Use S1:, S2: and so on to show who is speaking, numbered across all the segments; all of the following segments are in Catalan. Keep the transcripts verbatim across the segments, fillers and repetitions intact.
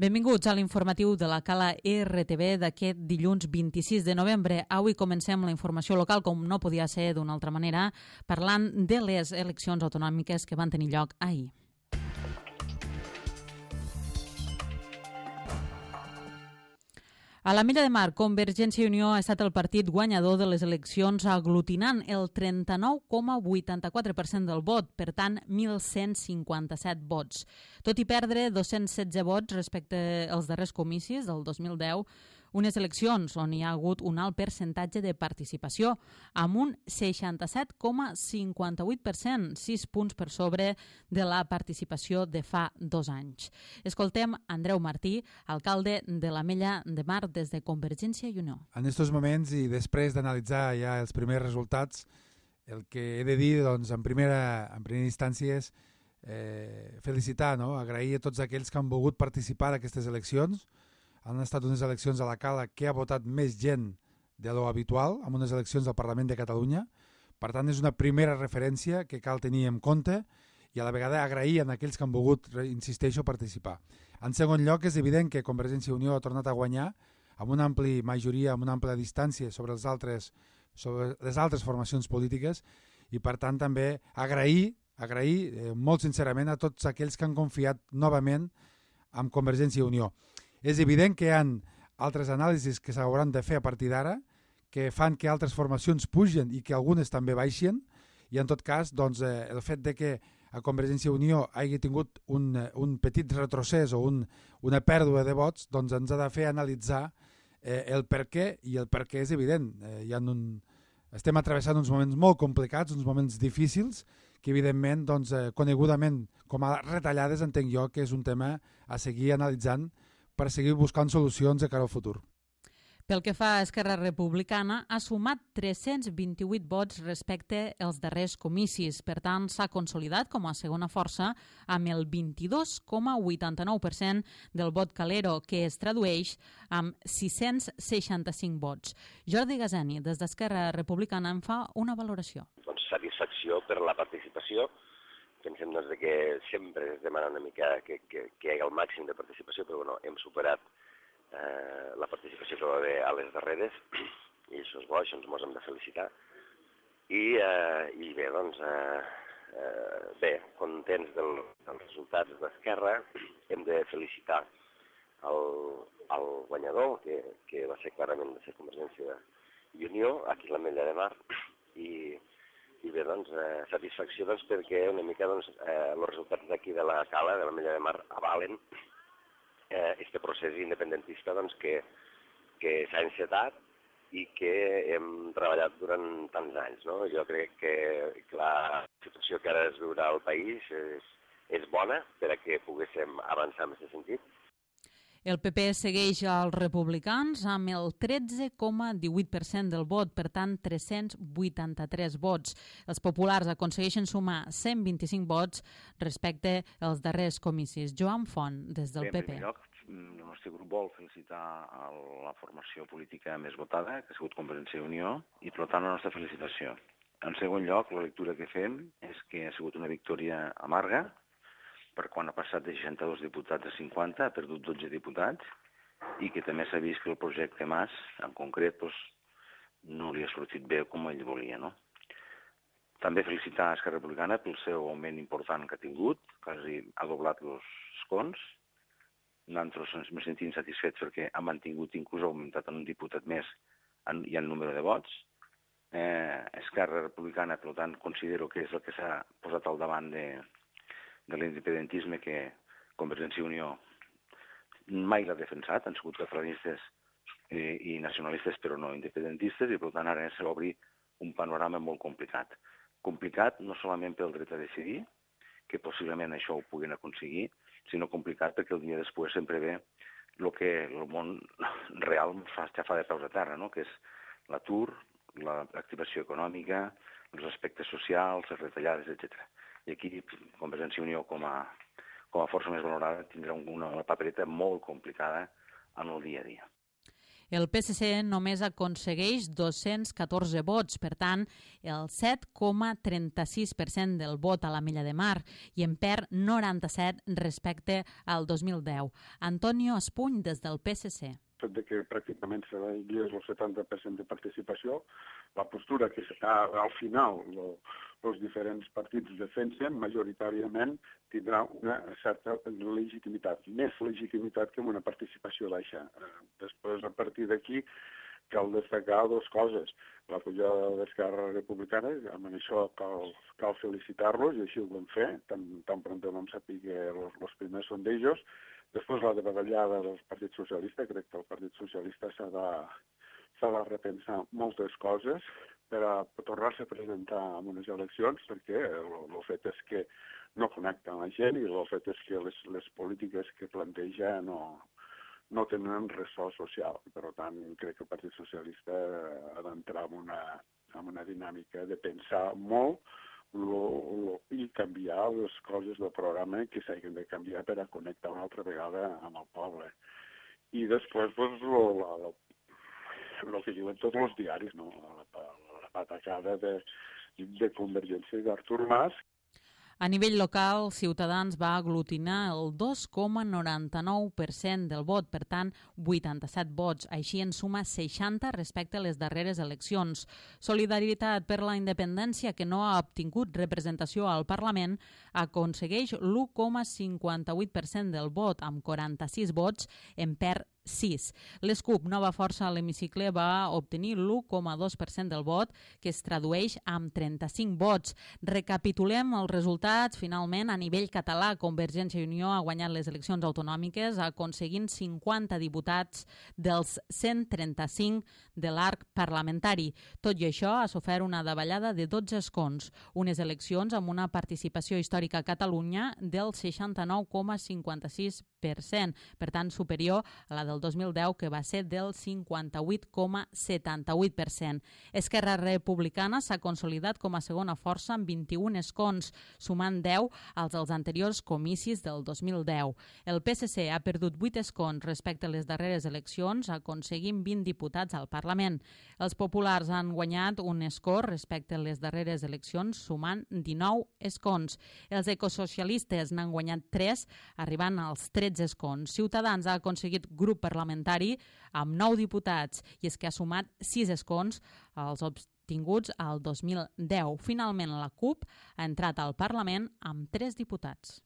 S1: Benvinguts a l'informatiu de la Cala R T V d'aquest dilluns vint-i-sis de novembre. Avui comencem la informació local, com no podia ser d'una altra manera, parlant de les eleccions autonòmiques que van tenir lloc ahir. A l'Ametlla de Mar, Convergència i Unió ha estat el partit guanyador de les eleccions, aglutinant el trenta-nou coma vuitanta-quatre per cent del vot, per tant, mil cent cinquanta-set vots. Tot i perdre dos-cents setze vots respecte als darrers comicis del dos mil deu, unes eleccions on hi ha hagut un alt percentatge de participació, amb un seixanta-set coma cinquanta-vuit per cent, sis punts per sobre de la participació de fa dos anys. Escoltem Andreu Martí, alcalde de l'Ametlla de Mar, des de Convergència i Unió.
S2: En aquests moments i després d'analitzar ja els primers resultats, el que he de dir, doncs, en primera, en primera instància és eh, felicitar, no? Agrair a tots aquells que han volgut participar d'aquestes eleccions. Han estat unes eleccions a la Cala que ha votat més gent de lo habitual, amb unes eleccions al Parlament de Catalunya. Per tant, és una primera referència que cal tenir en compte i a la vegada agrair a aquells que han volgut, insisteixo, participar. En segon lloc, és evident que Convergència i Unió ha tornat a guanyar amb una àmplia majoria, amb una àmplia distància sobre, els altres, sobre les altres formacions polítiques i, per tant, també agrair, agrair eh, molt sincerament a tots aquells que han confiat novament en Convergència i Unió. És evident que hi ha altres anàlisis que s'hauran de fer a partir d'ara, que fan que altres formacions pugen i que algunes també baixen, i en tot cas doncs, eh, el fet de que a Convergència i Unió hagi tingut un, un petit retrocés o un, una pèrdua de vots, doncs ens ha de fer analitzar eh, el per què, i el per què és evident. Eh, hi ha un, estem atravessant uns moments molt complicats, uns moments difícils, que evidentment, doncs, eh, conegudament com a retallades, entenc jo que és un tema a seguir analitzant per seguir buscant solucions de cara al futur.
S1: Pel que fa a Esquerra Republicana, ha sumat tres-cents vint-i-vuit vots respecte als darrers comicis. Per tant, s'ha consolidat com a segona força amb el vint-i-dos coma vuitanta-nou per cent del vot calero, que es tradueix amb sis-cents seixanta-cinc vots. Jordi Gazani, des d'Esquerra Republicana, en fa una valoració.
S3: Doncs satisfacció per la participació. Pensem doncs, que sempre es demana una mica que, que, que hi hagi el màxim de participació, però bueno, hem superat eh, la participació que va haver a les darreres, i això és bo, això ens mos hem de felicitar. I, eh, i bé, doncs, eh, eh, bé, contents del, dels resultats d'Esquerra, hem de felicitar el, el guanyador, que, que va ser clarament de ser Convergència i Unió, aquí a l'Ametlla de Mar, i I bé, doncs, eh, satisfacció doncs, perquè una mica doncs, eh, els resultats d'aquí de la Cala, de l'Ametlla de Mar, avalen eh, este procés independentista doncs, que, que s'ha encetat i que hem treballat durant tants anys. No? Jo crec que, que la situació que ara es viurà al país és, és bona per a que poguéssim avançar en aquest sentit.
S1: El P P segueix als republicans amb el tretze coma divuit per cent del vot, per tant, tres-cents vuitanta-tres vots. Els populars aconsegueixen sumar cent vint-i-cinc vots respecte als darrers comicis. Joan Font, des del
S4: Bé,
S1: P P.
S4: En primer lloc, el nostre grup vol felicitar la formació política més votada, que ha sigut Convergència i Unió, i per tant la nostra felicitació. En segon lloc, la lectura que fem és que ha sigut una victòria amarga, per quan ha passat de seixanta-dos diputats a cinquanta, ha perdut dotze diputats, i que també s'ha vist que el projecte Mas, en concret, doncs, no li ha sortit bé com ell volia. No? També felicitar a Esquerra Republicana pel seu augment important que ha tingut, quasi ha doblat els escons. Nosaltres ens hem sentit satisfets perquè ha mantingut, inclús ha augmentat en un diputat més en, i en número de vots. Eh, Esquerra Republicana, per tant, considero que és el que s'ha posat al davant de de l'independentisme que Convergència i Unió mai l'ha defensat, han sigut catalanistes i, i nacionalistes però no independentistes, i per tant ara s'obre un panorama molt complicat. Complicat no solament pel dret a decidir, que possiblement això ho puguin aconseguir, sinó complicat perquè el dia després sempre ve el que el món real fa, ja fa de peus a terra, no? Que és l'atur, l'activació econòmica, els aspectes socials, les retallades, etcètera. I aquí Convergència i Unió, com a, com a força més valorada, tindrà una, una papereta molt complicada en el dia a dia.
S1: El P S C només aconsegueix dos-cents catorze vots, per tant, el set coma trenta-sis per cent del vot a l'Ametlla de Mar i en perd noranta-set respecte al dos mil deu. Antonio Espuny, des del P S C.
S5: El fet que pràcticament s'arribi al setanta per cent de participació, la postura que al final els diferents partits defensen majoritàriament tindrà una certa legitimitat, més legitimitat que una participació baixa. Després, a partir d'aquí, cal destacar dues coses. La pujada d'Esquerra Republicana, amb això cal, cal felicitar-los, i així ho vam fer, tan, tan pront vam saber que els primers sondejos. Després, la davallada del Partit Socialista, crec que el Partit Socialista s'ha de, s'ha de repensar moltes coses per a tornar-se a presentar en unes eleccions, perquè el fet és que no connecten la gent i el fet és que les, les polítiques que planteja no, no tenen ressò social. Per tant, crec que el Partit Socialista ha d'entrar en una, en una dinàmica de pensar molt lo, lo, i canviar les coses del programa que s'hagin de canviar per a connectar una altra vegada amb el poble. I després, doncs, lo, la, la, el que diuen tots els diaris, no? la, la, la patacada de, de Convergència i d'Artur Mas.
S1: A nivell local, Ciutadans va aglutinar el dos coma noranta-nou per cent del vot, per tant, vuitanta-set vots. Així en suma seixanta respecte a les darreres eleccions. Solidaritat per la Independència, que no ha obtingut representació al Parlament, aconsegueix l'u coma cinquanta-vuit per cent del vot, amb quaranta-sis vots, en perd sis. L'Escup, Nova Força a l'Hemicicle, va obtenir l'u coma dos per cent del vot, que es tradueix amb trenta-cinc vots. Recapitulem els resultats. Finalment, a nivell català, Convergència i Unió ha guanyat les eleccions autonòmiques, aconseguint cinquanta diputats dels cent trenta-cinc de l'arc parlamentari. Tot i això, ha sofert una davallada de dotze escons, unes eleccions amb una participació històrica a Catalunya del seixanta-nou coma cinquanta-sis per cent, per tant, superior a la del dos mil deu, que va ser del cinquanta-vuit coma setanta-vuit per cent. Esquerra Republicana s'ha consolidat com a segona força amb vint-i-un escons, sumant deu als dels anteriors comicis del dos mil deu. El P S C ha perdut vuit escons respecte a les darreres eleccions, aconseguint vint diputats al Parlament. Els populars han guanyat un escó respecte a les darreres eleccions, sumant dinou escons. Els ecosocialistes n'han guanyat tres, arribant als tretze escons. Ciutadans ha aconseguit grup parlamentari amb nou diputats i és que ha sumat sis escons als obtinguts al dos mil deu. Finalment, la CUP ha entrat al Parlament amb tres diputats.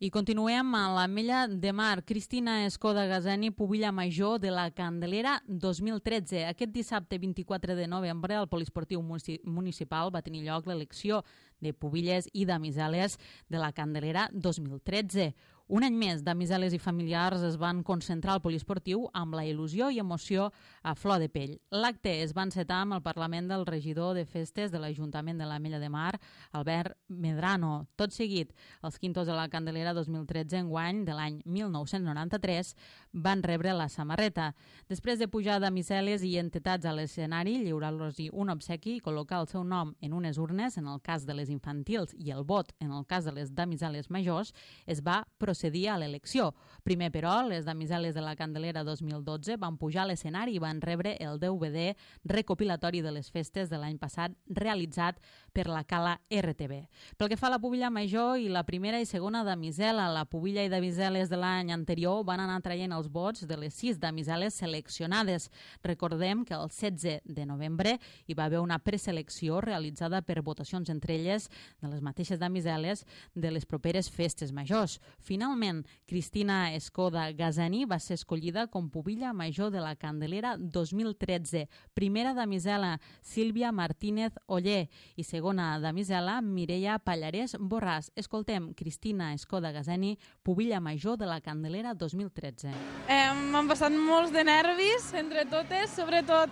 S1: I continuem a l'Ametlla de Mar. Cristina Escoda Gazeni, pubilla major de la Candelera dos mil tretze. Aquest dissabte vint-i-quatre de novembre al Poliesportiu Municipal va tenir lloc l'elecció de pubilles i damiseles de la Candelera dos mil tretze. Un any més, damiseles i familiars es van concentrar al poliesportiu amb la il·lusió i emoció a flor de pell. L'acte es va encetar amb el parlament del regidor de festes de l'Ajuntament de l'Ametlla de Mar, Albert Medrano. Tot seguit, els quintos de la Candelera dos mil tretze, enguany de l'any mil nou-cents noranta-tres, van rebre la samarreta. Després de pujar damiseles i entitats a l'escenari, lliurar-los un obsequi i col·locar el seu nom en unes urnes, en el cas de les infantils, i el vot, en el cas de les damiseles majors, es va procedir a l'elecció. Primer, però, les damiseles de la Candelera dos mil dotze van pujar a l'escenari i van rebre el D V D recopilatori de les festes de l'any passat realitzat per la Cala R T V. Pel que fa a la pubilla major i la primera i segona damisela, la pubilla i damiseles de l'any anterior van anar traient els vots de les sis damiseles seleccionades. Recordem que el setze de novembre hi va haver una preselecció realitzada per votacions entre elles de les mateixes damiseles de les properes festes majors. Finalment, Cristina Escoda Gazeni va ser escollida com pubilla major de la Candelera dos mil tretze. Primera damisela, Sílvia Martínez Oller, i segona damisela, Mireia Pallarès Borràs. Escoltem Cristina Escoda Gazeni, pubilla major de la Candelera dos mil tretze.
S6: Eh, M'han passat molts de nervis entre totes, sobretot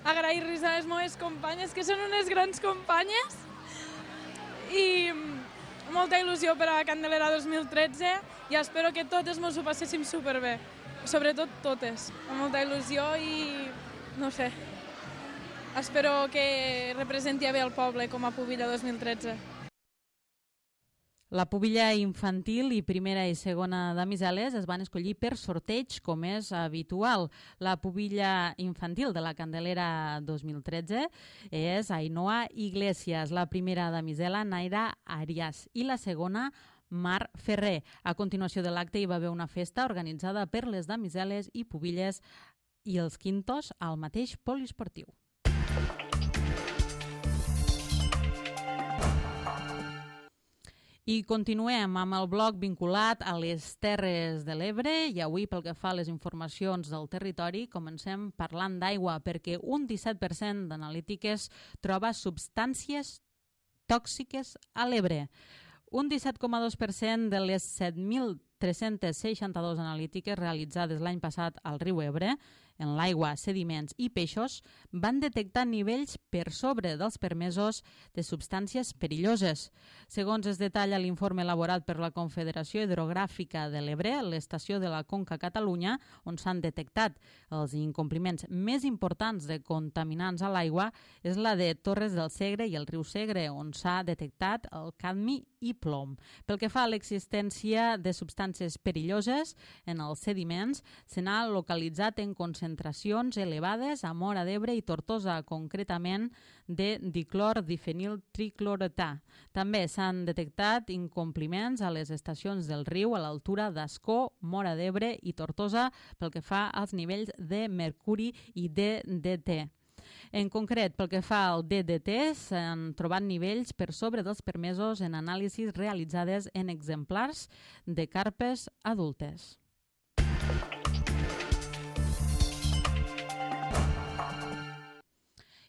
S6: agrair-los a les meves companyes, que són unes grans companyes, i molta il·lusió per a la Candelera dos mil tretze i espero que totes ens ho passéssim superbé, sobretot totes, amb molta il·lusió i no sé, espero que representi bé el poble com a pubilla dos mil tretze.
S1: La pubilla infantil i primera i segona damiseles es van escollir per sorteig, com és habitual. La pubilla infantil de la Candelera dos mil tretze és Ainhoa Iglesias, la primera damisela Naira Arias i la segona Mar Ferrer. A continuació de l'acte hi va haver una festa organitzada per les damiseles i pubilles i els quintos al mateix poliesportiu. I continuem amb el bloc vinculat a les Terres de l'Ebre i avui pel que fa a les informacions del territori comencem parlant d'aigua perquè un disset per cent d'analítiques troba substàncies tòxiques a l'Ebre. Un disset coma dos per cent de les set mil tres-cents seixanta-dos analítiques realitzades l'any passat al riu Ebre, en l'aigua, sediments i peixos, van detectar nivells per sobre dels permesos de substàncies perilloses. Segons es detalla l'informe elaborat per la Confederació Hidrogràfica de l'Ebre, l'estació de la Conca Catalunya, on s'han detectat els incompliments més importants de contaminants a l'aigua, és la de Torres del Segre i el riu Segre, on s'ha detectat el cadmi i plom. Pel que fa a l'existència de substàncies perilloses en els sediments, se n'ha localitzat en concentracions elevades a Móra d'Ebre i Tortosa, concretament de diclor difenil tricloretà. També s'han detectat incompliments a les estacions del riu a l'altura d'Ascó, Móra d'Ebre i Tortosa pel que fa als nivells de mercuri i de D D T. En concret, pel que fa al D D T, s'han trobat nivells per sobre dels permesos en anàlisis realitzades en exemplars de carpes adultes.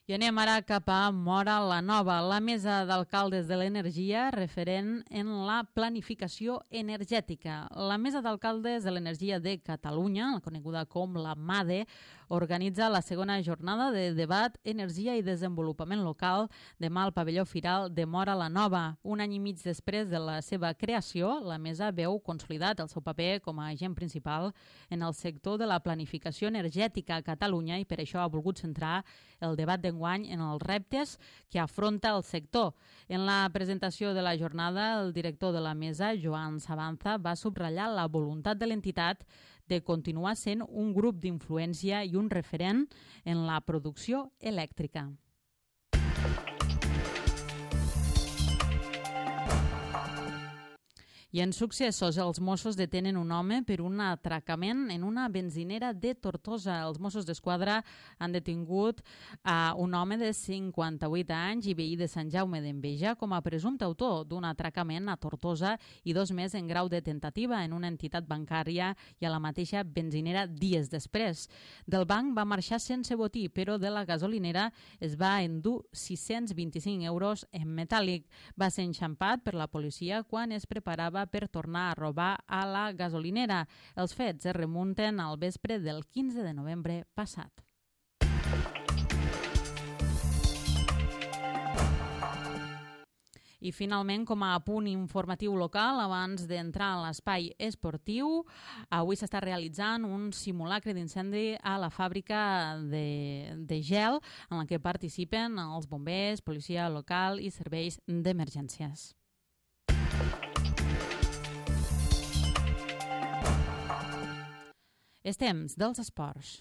S1: I anem ara cap a Móra la Nova, la Mesa d'Alcaldes de l'Energia referent en la planificació energètica. La Mesa d'Alcaldes de l'Energia de Catalunya, coneguda com la MADE, organitza la segona jornada de debat Energia i Desenvolupament Local demà al pavelló Firal de Móra la Nova. Un any i mig després de la seva creació, la Mesa veu consolidat el seu paper com a agent principal en el sector de la planificació energètica a Catalunya i per això ha volgut centrar el debat d'enguany en els reptes que afronta el sector. En la presentació de la jornada, el director de la Mesa, Joan Sabanza, va subratllar la voluntat de l'entitat de continuar sent un grup d'influència i un referent en la producció elèctrica. I en successos, els Mossos detenen un home per un atracament en una benzinera de Tortosa. Els Mossos d'Esquadra han detingut a un home de cinquanta-vuit anys i veí de Sant Jaume d'Enveja com a presumpte autor d'un atracament a Tortosa i dos més en grau de tentativa en una entitat bancària i a la mateixa benzinera dies després. Del banc va marxar sense botí, però de la gasolinera es va endur sis-cents vint-i-cinc euros en metàl·lic. Va ser enxampat per la policia quan es preparava per tornar a robar a la gasolinera. Els fets es remunten al vespre del quinze de novembre passat. I finalment, com a punt informatiu local, abans d'entrar a l'espai esportiu, avui s'està realitzant un simulacre d'incendi a la fàbrica de, de gel en la que participen els bombers, policia local i serveis d'emergències. És temps dels esports.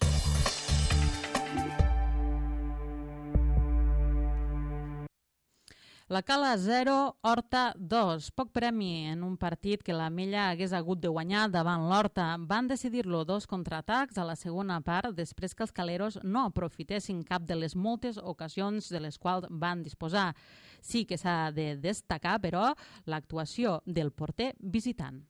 S1: La Cala zero, Horta dos. Poc premi en un partit que la Mella hagués hagut de guanyar davant l'Horta. Van decidir-lo dos contraatacs a la segona part després que els caleros no aprofitessin cap de les moltes ocasions de les quals van disposar. Sí que s'ha de destacar, però, l'actuació del porter visitant.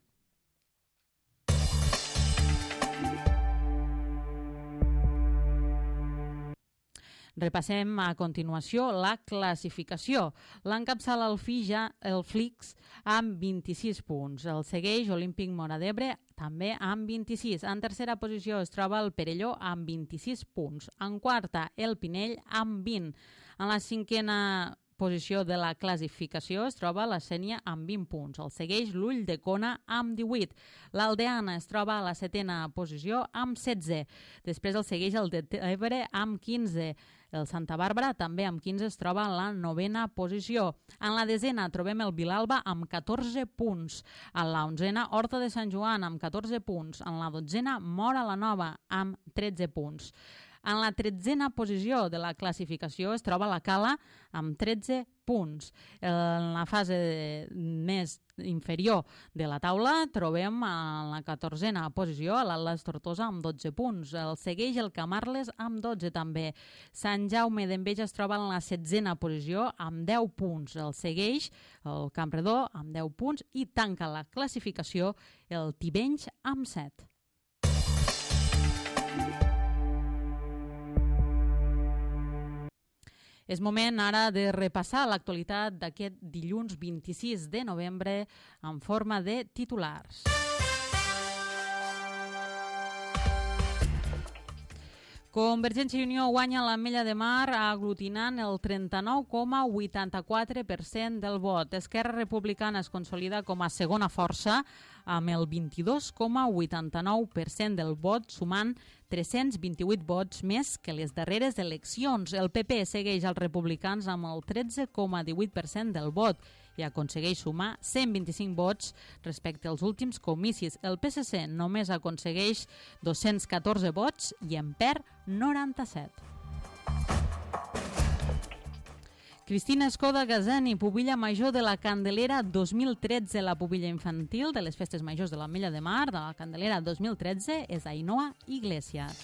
S1: Repassem a continuació la classificació. L'encapçala el Fija, el Flix, amb vint-i-sis punts. El segueix Olímpic Móra d'Ebre, també amb vint-i-sis. En tercera posició es troba el Perelló amb vint-i-sis punts. En quarta, el Pinell amb vint. En la cinquena posició de la classificació es troba la Sénia amb vint punts. El segueix l'Ull de Cona amb divuit. L'Aldeana es troba a la setena posició amb setze. Després el segueix el de Ebre amb quinze. El Santa Bàrbara, també amb quinze, es troba en la novena posició. En la desena trobem el Vilalba amb catorze punts. En la onzena, Horta de Sant Joan amb catorze punts. En la dotzena, Móra la Nova amb tretze punts. En la tretzena posició de la classificació es troba la Cala amb tretze punts. En la fase més inferior de la taula trobem en la catorzena posició l'Atlas Tortosa amb dotze punts. El segueix el Camarles amb dotze també. Sant Jaume d'Enveja es troba en la setzena posició amb deu punts. El segueix el Campredó amb deu punts i tanca la classificació el Tivenys amb set. És moment ara de repassar l'actualitat d'aquest dilluns vint-i-sis de novembre en forma de titulars. Convergència i Unió guanya l'Ametlla de Mar aglutinant el trenta-nou coma vuitanta-quatre per cent del vot. Esquerra Republicana es consolida com a segona força amb el vint-i-dos coma vuitanta-nou per cent del vot, sumant tres-cents vint-i-vuit vots més que les darreres eleccions. El P P segueix als republicans amb el tretze coma divuit per cent del vot i aconsegueix sumar cent vint-i-cinc vots respecte als últims comicis. El P S C només aconsegueix dos-cents catorze vots i en perd noranta-set. Cristina Escoda Gazani, pubilla major de la Candelera dos mil tretze. La pubilla infantil de les festes majors de l'Ametlla de Mar de la Candelera dos mil tretze és Ainhoa Iglesias.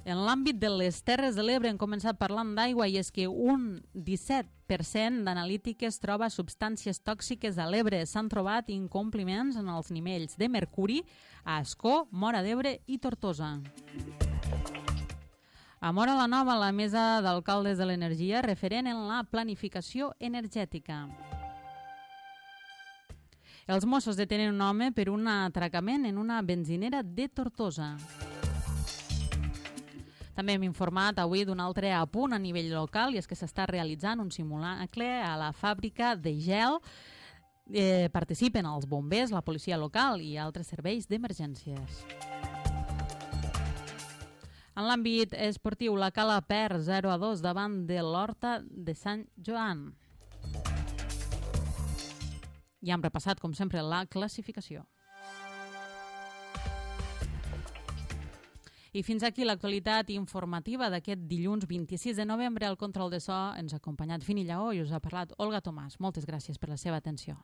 S1: En l'àmbit de les Terres de l'Ebre hem començat parlant d'aigua i és que un disset per cent d'analítiques troba substàncies tòxiques a l'Ebre. S'han trobat incompliments en els nivells de mercuri a Ascó, Móra d'Ebre i Tortosa. A Móra la Nova, la mesa d'alcaldes de l'energia referent en la planificació energètica. Els Mossos detenen un home per un atracament en una benzinera de Tortosa. També hem informat avui d'un altre apunt a nivell local i és que s'està realitzant un simulacle a la fàbrica de gel. Eh, participen els bombers, la policia local i altres serveis d'emergències. En l'àmbit esportiu, la Cala perd zero a dos davant de l'Horta de Sant Joan. I hem repassat, com sempre, la classificació. I fins aquí l'actualitat informativa d'aquest dilluns vint-i-sis de novembre. Al control de so ens ha acompanyat Fini Lleó i us ha parlat Olga Tomàs. Moltes gràcies per la seva atenció.